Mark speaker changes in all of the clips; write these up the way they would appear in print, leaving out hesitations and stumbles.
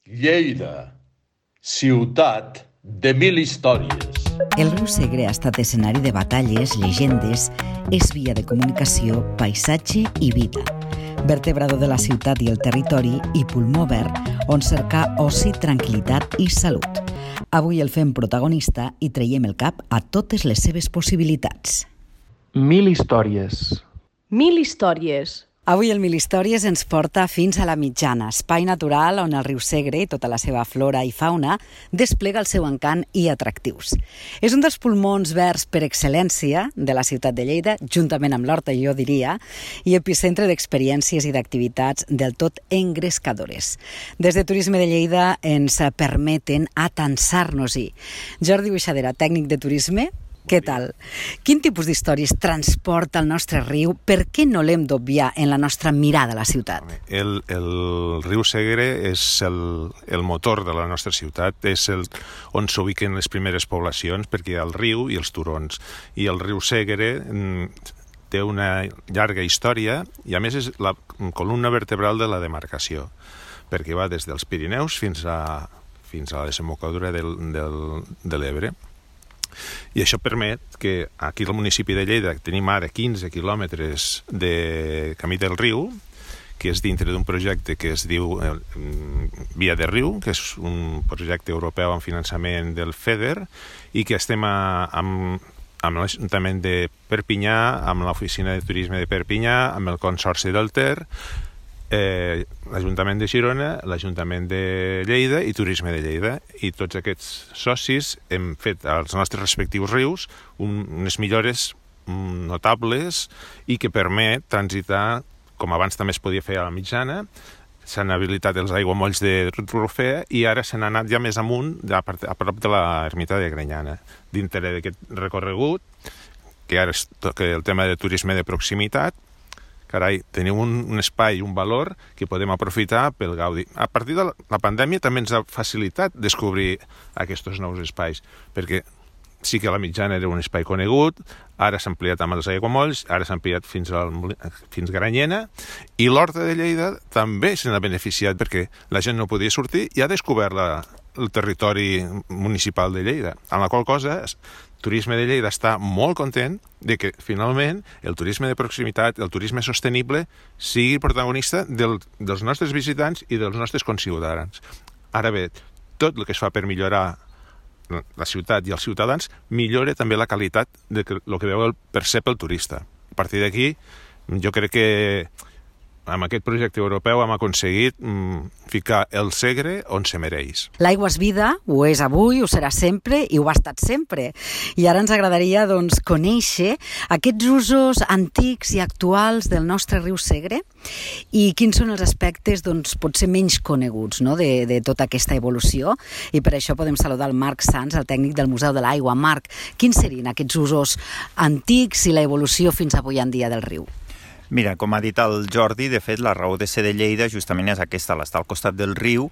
Speaker 1: Lleida, ciutat de mil històries.
Speaker 2: El riu Segre ha estat escenari de batalles, llegendes, és via de comunicació, paisatge i vida. Vertebrador de la ciutat i el territori i pulmó verd on cercar oci, tranquil·litat i salut. Avui el fem protagonista i traiem el cap a totes les seves possibilitats.
Speaker 3: Mil històries.
Speaker 4: Mil històries.
Speaker 2: Avui el Mil Històries ens porta fins a la Mitjana, espai natural on el riu Segre i tota la seva flora i fauna desplega el seu encant i atractius. És un dels pulmons verds per excel·lència de la ciutat de Lleida, juntament amb l'Horta, jo diria, i epicentre d'experiències i d'activitats del tot engrescadores. Des de Turisme de Lleida ens permeten atansar-nos-hi. Jordi Buixadera, tècnic de turisme, què tal? Quin tipus d'històries transporta el nostre riu? Per què no l'hem d'obviar en la nostra mirada a la ciutat?
Speaker 5: El riu Segre és el motor de la nostra ciutat, és on s'ubiquen les primeres poblacions, perquè hi ha el riu i els turons. I el riu Segre té una llarga història i a més és la columna vertebral de la demarcació, perquè va des dels Pirineus fins a la desembocadura de l'Ebre. I això permet que aquí al municipi de Lleida tenim ara 15 quilòmetres de camí del riu, que és dintre d'un projecte que es diu Via de Riu, que és un projecte europeu amb finançament del FEDER, i que estem amb l'Ajuntament de Perpinyà, amb l'Oficina de Turisme de Perpinyà, amb el Consorci del Ter, l'Ajuntament de Girona, l'Ajuntament de Lleida i Turisme de Lleida. I tots aquests socis hem fet als nostres respectius rius unes millores notables i que permet transitar, com abans també es podia fer a la Mitjana. S'han habilitat els aiguamolls de Rufea i ara s'han anat ja més amunt, a prop de l'ermita de Granyana. Dintre d'aquest recorregut, que ara és el tema de turisme de proximitat, carai, teniu un espai, un valor que podem aprofitar pel gaudi. A partir de la pandèmia també ens ha facilitat descobrir aquests nous espais, perquè sí que la Mitjana era un espai conegut, ara s'ha ampliat amb els aiguamolls, ara s'ha ampliat fins Granyena, i l'Horta de Lleida també se n'ha beneficiat perquè la gent no podia sortir i ha descobert el territori municipal de Lleida, amb la qual cosa Turisme de Lleida està molt content de que finalment el turisme de proximitat, el turisme sostenible, sigui protagonista dels nostres visitants i dels nostres conciutadans. Ara bé, tot el que es fa per millorar la ciutat i els ciutadans millora també la qualitat del que percep el turista. A partir d'aquí, jo crec que amb aquest projecte europeu hem aconseguit ficar el Segre on se mereix.
Speaker 2: L'aigua és vida, ho és avui, ho serà sempre i ho ha estat sempre. I ara ens agradaria conèixer aquests usos antics i actuals del nostre riu Segre i quins són els aspectes potser menys coneguts de tota aquesta evolució. I per això podem saludar el Marc Sans, el tècnic del Museu de l'Aigua. Marc, quins serien aquests usos antics i l'evolució fins avui en dia del riu?
Speaker 6: Mira, com ha dit el Jordi, de fet, la raó de ser de Lleida justament és aquesta, l'estar al costat del riu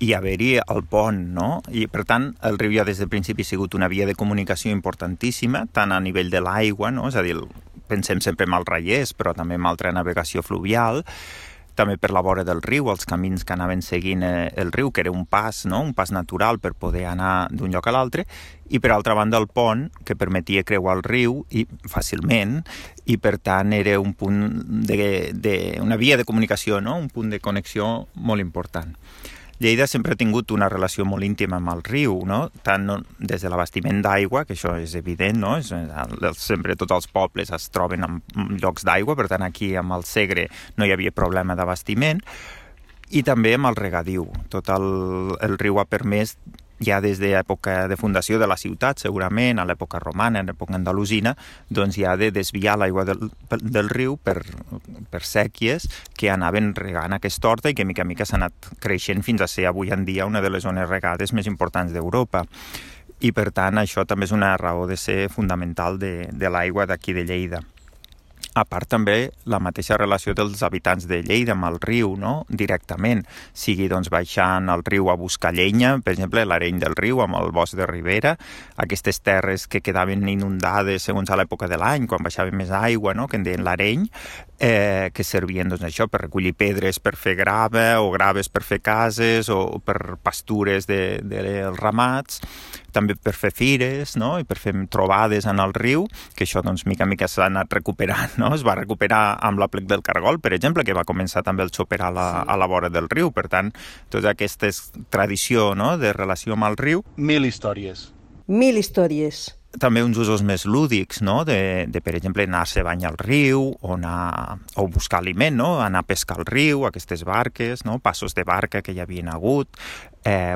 Speaker 6: i haver-hi el pont, no? I, per tant, el riu ja des del principi ha sigut una via de comunicació importantíssima, tant a nivell de l'aigua, no? És a dir, pensem sempre en els raiers, però també en altra navegació fluvial, també per la vora del riu, els camins que anaven seguint el riu, que era un pas, no? Un pas natural per poder anar d'un lloc a l'altre, i per altra banda el pont, que permetia creuar el riu i fàcilment, i per tant era un punt una via de comunicació, no? Un punt de connexió molt important. Lleida sempre ha tingut una relació molt íntima amb el riu, no? Tant des de l'abastiment d'aigua, que això és evident, no? Sempre tots els pobles es troben en llocs d'aigua, per tant aquí amb el Segre no hi havia problema d'abastiment, i també amb el regadiu. Tot el riu ha permès, ja des de l'època de fundació de la ciutat, segurament, a l'època romana, a l'època andalusina, doncs ja de desviar l'aigua del riu per sèquies que anaven regant aquesta horta i que mica en mica s'ha anat creixent fins a ser avui en dia una de les zones regades més importants d'Europa. I per tant això també és una raó de ser fundamental de l'aigua d'aquí de Lleida. A part també la mateixa relació dels habitants de Lleida amb el riu, no? Directament, sigui doncs baixant al riu a buscar llenya, per exemple l'Areny del Riu amb el bosc de Ribera, aquestes terres que quedaven inundades segons a l'època de l'any, quan baixava més aigua, no? Que en deien l'Areny, que servien doncs, això per recollir pedres per fer grava o graves per fer cases o per pastures dels ramats, també per fer fires, no? I per fer trobades en el riu, que això doncs mica en mica s'ha anat recuperant, no? Es va recuperar amb l'Aplec del Cargol, per exemple, que va començar també el xoper a la vora del riu. Per tant, tota aquesta tradició, no? De relació amb el riu.
Speaker 3: 1000 històries.
Speaker 7: 1000 històries.
Speaker 6: També uns usos més lúdics, no? De per exemple, anar-se a banyar al riu o buscar aliment, no? Anar a pescar al riu, aquestes barques, no? Passos de barca que hi havien hagut.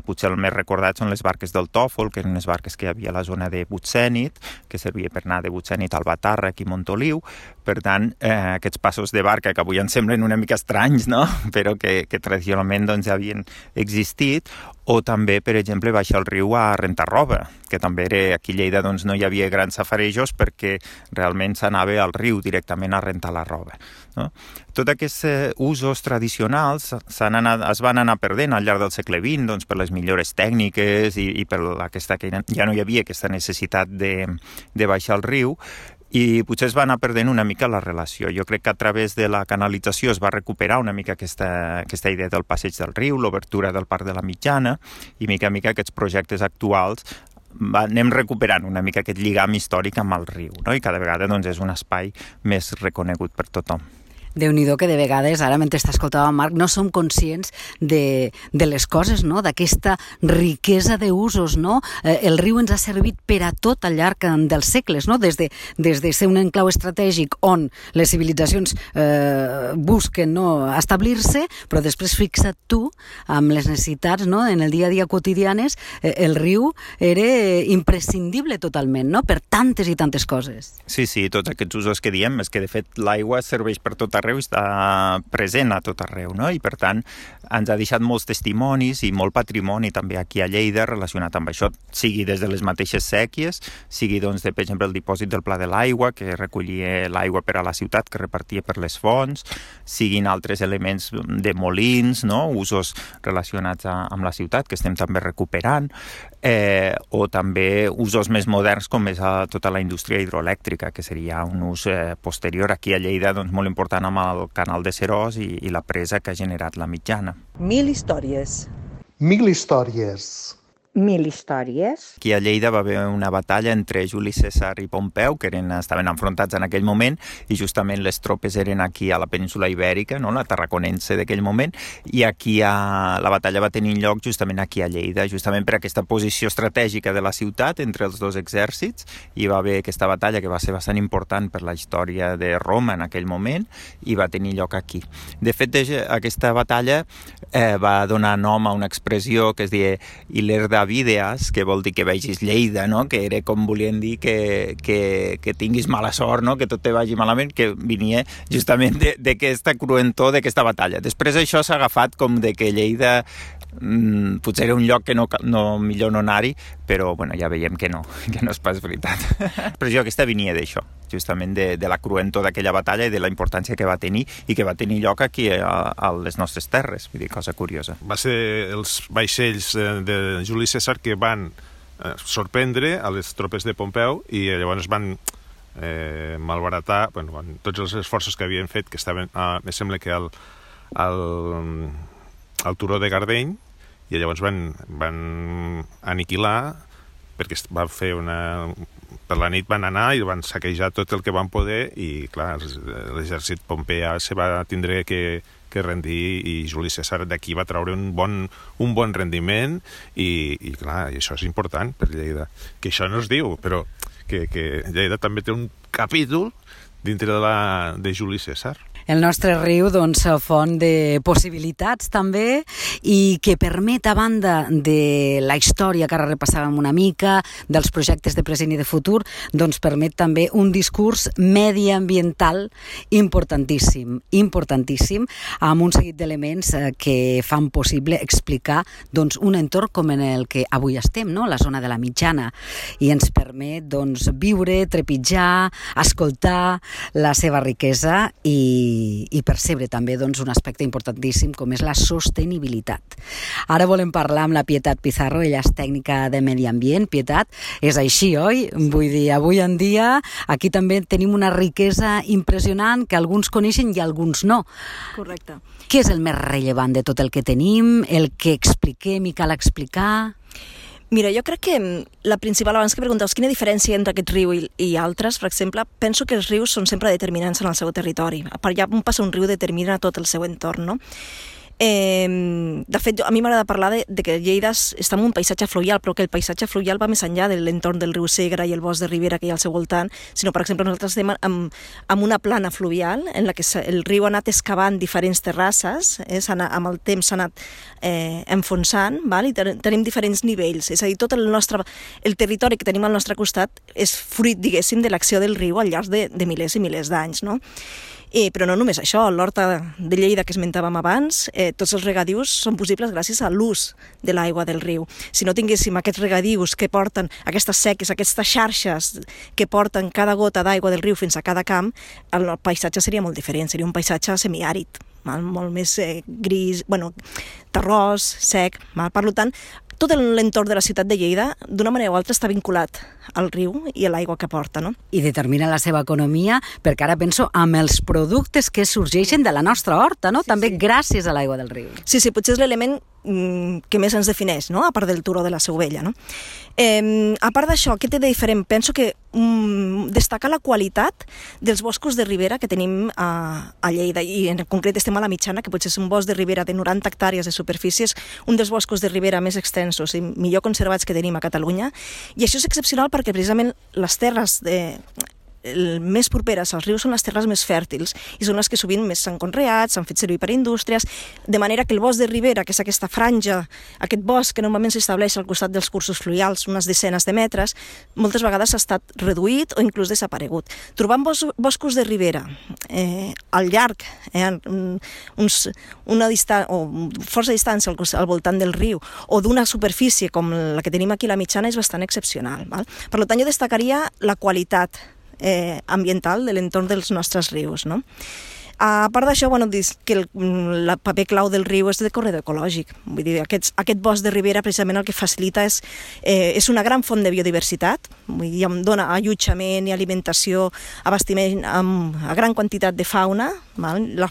Speaker 6: Potser el més recordat són les barques del Tòfol, que eren unes barques que hi havia a la zona de Butzènit, que servia per anar de Butzènit al Batàrrec i Montoliu. Per tant, aquests passos de barca, que avui ens semblen una mica estranys, no? Però que tradicionalment doncs, ja havien existit, o també, per exemple, baixar al riu a rentar roba, que també era, aquí a Lleida doncs, no hi havia grans safarejos perquè realment s'anava al riu directament a rentar la roba. No? Tots aquests usos tradicionals es van anar perdent al llarg del segle XX doncs, per les millores tècniques i per aquesta que ja no hi havia aquesta necessitat de baixar al riu, i potser es va anar perdent una mica la relació. Jo crec que a través de la canalització es va recuperar una mica aquesta idea del passeig del riu, l'obertura del Parc de la Mitjana, i mica en mica aquests projectes actuals anem recuperant una mica aquest lligam històric amb el riu, no? I cada vegada doncs, és un espai més reconegut per tothom.
Speaker 2: Déu-n'hi-do que de vegades, ara mentre t'escoltava Marc, no som conscients de les coses, no? D'aquesta riquesa d'usos, no? El riu ens ha servit per a tot al llarg dels segles, no? Des de ser un enclau estratègic on les civilitzacions busquen establir-se, però després fixa't tu amb les necessitats, no? En el dia a dia quotidianes, el riu era imprescindible totalment, no? Per tantes i tantes coses.
Speaker 6: Sí, tots aquests usos que diem, és que de fet l'aigua serveix per tot arreu, està present a tot arreu, no? I per tant ens ha deixat molts testimonis i molt patrimoni també aquí a Lleida relacionat amb això, sigui des de les mateixes sèquies, sigui doncs per exemple el dipòsit del Pla de l'Aigua, que recollia l'aigua per a la ciutat, que repartia per les fonts, siguin altres elements de molins, no? Usos relacionats amb la ciutat que estem també recuperant, o també usos més moderns com és tota la indústria hidroelèctrica, que seria un ús posterior aquí a Lleida doncs, molt important amb el canal de Seròs i la presa que ha generat la Mitjana.
Speaker 7: 1000 històries.
Speaker 3: 1000 històries.
Speaker 7: 1000 històries.
Speaker 6: Aquí a Lleida va haver una batalla entre Juli Cèsar i Pompeu, que estaven enfrontats en aquell moment, i justament les tropes eren aquí a la península Ibèrica, no? La tarraconense d'aquell moment, i aquí la batalla va tenir lloc justament aquí a Lleida, justament per aquesta posició estratègica de la ciutat entre els dos exèrcits. Hi va haver aquesta batalla que va ser bastant important per la història de Roma en aquell moment, i va tenir lloc aquí. De fet, aquesta batalla va donar nom a una expressió que es deia Ilerda Videas, que vol dir que vegis Lleida, no? Que era com volien dir que tinguis mala sort, no? Que tot te vagi malament, que venia justament d'aquesta cruentor d'aquesta batalla. Després això s'ha agafat com de que Lleida potser era un lloc que millor no anar-hi, però bueno, ja veiem que no és pas veritat. Però aquesta venia d'això, justament de la cruentor d'aquella batalla i de la importància que va tenir i que va tenir lloc aquí a les nostres terres, vull dir, cosa curiosa.
Speaker 5: Va ser els vaixells de Juli Cèsar que van sorprendre a les tropes de Pompeu i llavors van malbaratar tots els esforços que havien fet, que estaven, em sembla que al turó de Gardeny, i llavors van aniquilar, perquè van fer per la nit van anar i van saquejar tot el que van poder, i clar, l'exèrcit pompeà se va tindre que rendir, i Juli Cèsar d'aquí va treure un bon rendiment, i clar, i això és important per Lleida, que això no es diu, però que Lleida també té un capítol dintre de Juli Cèsar.
Speaker 2: El nostre riu, doncs, font de possibilitats també, i que permet, a banda de la història que ara repassàvem una mica, dels projectes de present i de futur, doncs permet també un discurs mediambiental importantíssim, amb un seguit d'elements que fan possible explicar doncs, un entorn com en el que avui estem, no? La zona de la Mitjana, i ens permet doncs, viure, trepitjar, escoltar la seva riquesa i percebre també doncs, un aspecte importantíssim com és la sostenibilitat. Ara volem parlar amb la Pietat Pizarro, ella és tècnica de medi ambient. Pietat, és així, oi? Vull dir, avui en dia aquí també tenim una riquesa impressionant que alguns coneixen i alguns no.
Speaker 8: Correcte.
Speaker 2: Què és el més rellevant de tot el que tenim, el que expliquem i cal explicar?
Speaker 8: Mira, jo crec que la principal, abans que preguntaves quina diferència entre aquest riu i altres, per exemple, penso que els rius són sempre determinants en el seu territori. Per allà on passa un riu determina tot el seu entorn, no? De fet, a mi m'agrada parlar de que Lleida està en un paisatge fluvial, però que el paisatge fluvial va més enllà de l'entorn del riu Segre i el bosc de ribera que hi ha al seu voltant, sinó, per exemple, nosaltres estem amb una plana fluvial en la que el riu ha anat excavant diferents terrasses, amb el temps s'ha anat enfonsant, val? I tenim diferents nivells, és a dir, tot el territori que tenim al nostre costat és fruit, diguéssim, de l'acció del riu al llarg de milers i milers d'anys, no? Però no només això, l'horta de Lleida que esmentàvem abans, tots els regadius són possibles gràcies a l'ús de l'aigua del riu. Si no tinguéssim aquests regadius que porten, aquestes seques, aquestes xarxes que porten cada gota d'aigua del riu fins a cada camp, el paisatge seria molt diferent, seria un paisatge semiàrid, molt més gris, terrós, sec. Per tant, tot l'entorn de la ciutat de Lleida, d'una manera o altra, està vinculat al riu i a l'aigua que porta, no?
Speaker 2: I determina la seva economia, perquè ara penso amb els productes que sorgeixen de la nostra horta, no? També gràcies a l'aigua del riu.
Speaker 8: Sí, potser és l'element que més ens defineix, no? A part del turó de la Seu Vella, no? A part d'això, què té de diferent? Penso que destacar la qualitat dels boscos de ribera que tenim a Lleida, i en concret estem a la Mitjana, que potser és un bosc de ribera de 90 hectàrees de superfície, és un dels boscos de ribera més extensos i millor conservats que tenim a Catalunya, i això és excepcional perquè precisament les terres més properes als rius són les terres més fèrtils i són les que sovint més s'han conreat, s'han fet servir per indústries, de manera que el bosc de ribera, que és aquesta franja, aquest bosc que normalment s'estableix al costat dels cursos fluvials, unes desenes de metres, moltes vegades ha estat reduït o inclús desaparegut. Trobant boscos de ribera al llarg, força distància al voltant del riu o d'una superfície com la que tenim aquí a la Mitjana és bastant excepcional. Per tant, jo destacaria la qualitat ambiental de l'entorn dels nostres rius, no? A part d'això, que el paper clau del riu és de corredor ecològic. Vull dir, aquest bosc de ribera precisament el que facilita és una gran font de biodiversitat, vull dir, dona allotjament i alimentació, abastiment a gran quantitat de fauna, la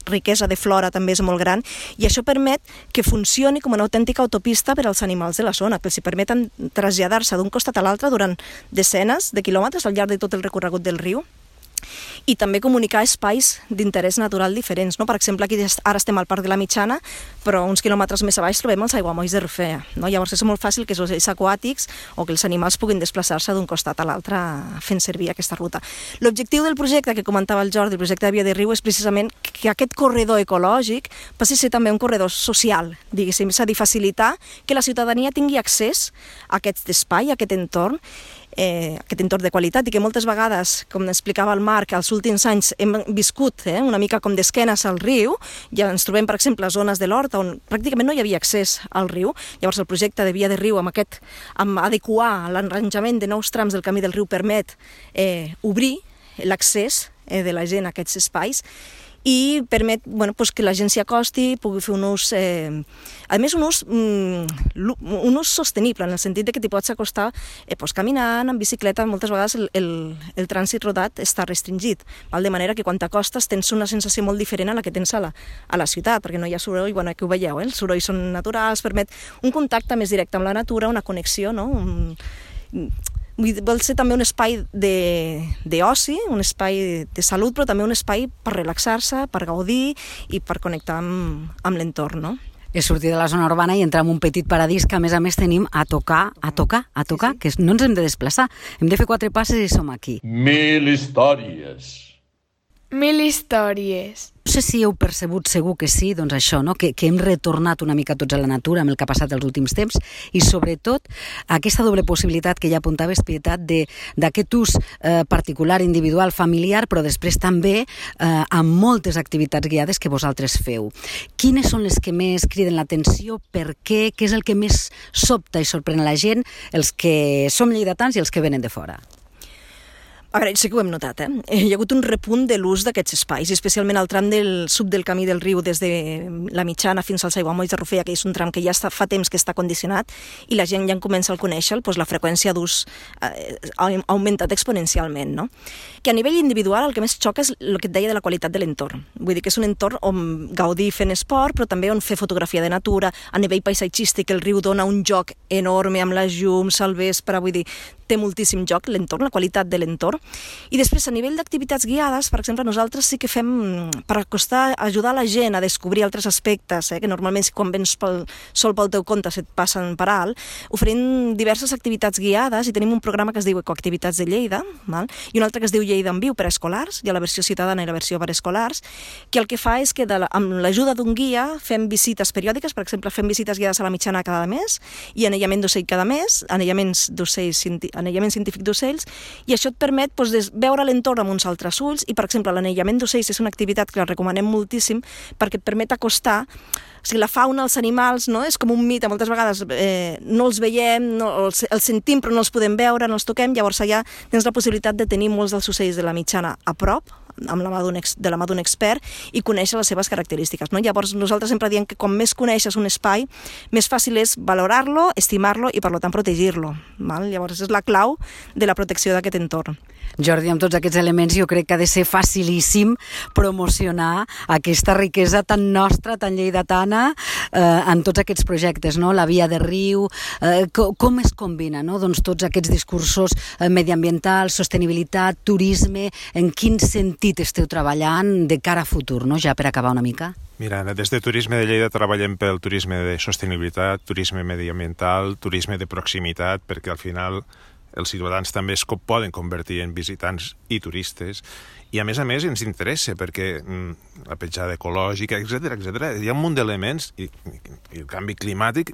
Speaker 8: riquesa de flora també és molt gran, i això permet que funcioni com una autèntica autopista per als animals de la zona, que els permeten traslladar-se d'un costat a l'altre durant desenes de quilòmetres al llarg de tot el recorregut del riu, i també comunicar espais d'interès natural diferents, no? Per exemple, aquí ara estem al Parc de la Mitjana, però uns quilòmetres més a baix trobem els aiguamolls de Rufea, no? Llavors és molt fàcil que els ocells aquàtics o que els animals puguin desplaçar-se d'un costat a l'altre fent servir aquesta ruta. L'objectiu del projecte que comentava el Jordi, el projecte de Via de Riu, és precisament que aquest corredor ecològic passi a ser també un corredor social, diguéssim, és a dir, facilitar que la ciutadania tingui accés a aquest espai, a aquest entorn de qualitat, i que moltes vegades, com explicava el Marc, als últims anys hem viscut una mica com d'esquenes al riu, ja ens trobem, per exemple, a zones de l'Horta on pràcticament no hi havia accés al riu. Llavors el projecte de Via de Riu amb adequar l'arranjament de nous trams del camí del riu permet obrir l'accés de la gent a aquests espais i permet que la gent s'hi acosti, pugui fer un ús, a més un ús sostenible, en el sentit de que t'hi pots acostar caminant, en bicicleta. Moltes vegades el trànsit rodat està restringit, de manera que quan t'acostes tens una sensació molt diferent a la que tens a la ciutat, perquè no hi ha soroll, aquí ho veieu, els sorolls són naturals, permet un contacte més directe amb la natura, una connexió, no? Vol ser també un espai d'oci, un espai de salut, però també un espai per relaxar-se, per gaudir i per connectar amb l'entorn, no?
Speaker 2: És sortir de la zona urbana i entrar en un petit paradís que a més tenim a tocar, que no ens hem de desplaçar. Hem de fer 4 passes i som aquí.
Speaker 1: 1000 històries.
Speaker 9: 1000 històries.
Speaker 2: No sé si heu percebut, segur que sí, doncs això, no? que hem retornat una mica tots a la natura amb el que ha passat els últims temps i sobretot aquesta doble possibilitat que ja apuntaves, Pietat, d'aquest ús particular, individual, familiar, però després també amb moltes activitats guiades que vosaltres feu. Quines són les que més criden l'atenció? Per què? Què és el que més sobta i sorprèn a la gent, els que som lleidatans i els que venen de fora?
Speaker 8: A veure, sí que ho hem notat, Hi ha hagut un repunt de l'ús d'aquests espais, especialment al tram del sud del camí del riu, des de la Mitjana fins als aiguamolls de Rufella, que és un tram que ja fa temps que està condicionat, i la gent ja en comença a conèixer, doncs la freqüència d'ús ha augmentat exponencialment, no? Que a nivell individual el que més xoca és el que et deia de la qualitat de l'entorn. Vull dir que és un entorn on gaudir fent esport, però també on fer fotografia de natura, a nivell paisatgístic el riu dona un joc enorme amb les llums al vespre, vull dir, té moltíssim joc l'entorn, la qualitat de l'entorn. I després, a nivell d'activitats guiades, per exemple, nosaltres sí que fem, per ajudar la gent a descobrir altres aspectes, que normalment quan vens sol pel teu compte se't passen per alt, oferim diverses activitats guiades i tenim un programa que es diu Ecoactivitats de Lleida, i un altre que es diu Lleida en Viu per a escolars, hi ha la versió ciutadana i la versió per a escolars, que el que fa és que amb l'ajuda d'un guia fem visites periòdiques, per exemple, fem visites guiades a la Mitjana cada mes i anellament d'ocell cada mes, anellament científic d'ocells, i això et permet veure l'entorn amb uns altres ulls, i per exemple l'anellament d'ocells és una activitat que la recomanem moltíssim perquè et permet acostar, o sigui, la fauna, els animals, no? És com un mite, moltes vegades no els veiem, els sentim però no els podem veure, no els toquem, llavors allà tens la possibilitat de tenir molts dels ocells de la Mitjana a prop, de la mà d'un expert, i conèixer les seves característiques, no? Llavors nosaltres sempre diem que com més coneixes un espai, més fàcil és valorar-lo, estimar-lo i per tant protegir-lo. Llavors és la clau de la protecció d'aquest entorn.
Speaker 2: Jordi, amb tots aquests elements jo crec que ha de ser facilíssim promocionar aquesta riquesa tan nostra, tan lleidatana, en tots aquests projectes, no? La via de riu, com es combina, no? Doncs tots aquests discursos mediambientals, sostenibilitat, turisme, en quin sentit esteu treballant de cara a futur, no? Ja per acabar una mica.
Speaker 5: Mira, des de Turisme de Lleida treballem pel turisme de sostenibilitat, turisme mediambiental, turisme de proximitat, perquè al final els ciutadans també es poden convertir en visitants i turistes, i a més ens interessa perquè la petjada ecològica, etc. Hi ha un munt d'elements i el canvi climàtic,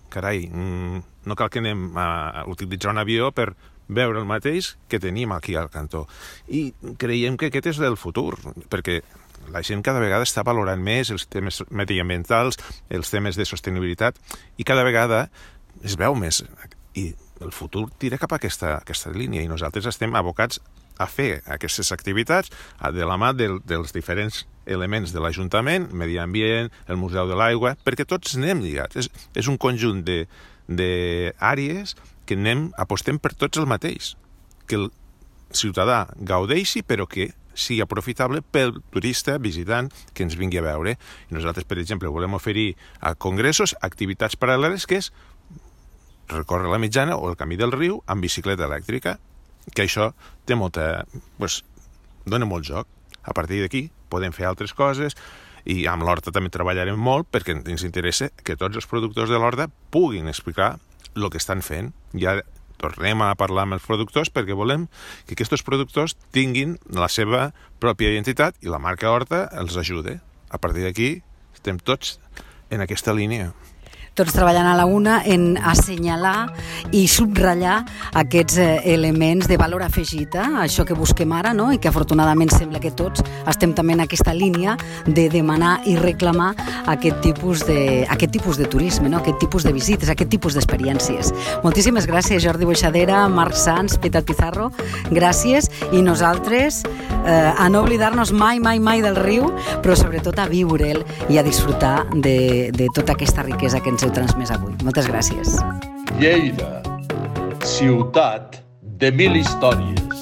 Speaker 5: carai, no cal que anem a utilitzar un avió per veure el mateix que tenim aquí al cantó. I creiem que aquest és el futur, perquè la gent cada vegada està valorant més els temes mediambientals, els temes de sostenibilitat, i cada vegada es veu més. I el futur tira cap a aquesta línia, i nosaltres estem abocats a fer aquestes activitats de la mà dels diferents elements de l'Ajuntament, medi ambient, el Museu de l'Aigua, perquè tots anem lligats. És un conjunt d'àrees que apostem per tots el mateix, que el ciutadà gaudeixi, però que sigui aprofitable pel turista visitant que ens vingui a veure. I nosaltres, per exemple, volem oferir a congressos activitats paral·leles, que és recórrer la Mitjana o el camí del riu amb bicicleta elèctrica, que això té dona molt joc. A partir d'aquí podem fer altres coses, i amb l'Horta també treballarem molt perquè ens interessa que tots els productors de l'Horta puguin explicar el que estan fent. Ja tornem a parlar amb els productors perquè volem que aquests productors tinguin la seva pròpia identitat i la marca Horta els ajude. A partir d'aquí estem tots en aquesta línia.
Speaker 2: Tots treballant a la una en assenyalar i subratllar aquests elements de valor afegit, això que busquem ara, no? I que afortunadament sembla que tots estem també en aquesta línia de demanar i reclamar aquest tipus de turisme, no? Aquest tipus de visites, aquest tipus d'experiències. Moltíssimes gràcies, Jordi Boixadera, Marc Sans, Pietat Pizarro, gràcies, i nosaltres a no oblidar-nos mai del riu, però sobretot a viure'l i a disfrutar de tota aquesta riquesa que ens heu transmès avui. Moltes gràcies.
Speaker 1: Lleida, ciutat de 1000 històries.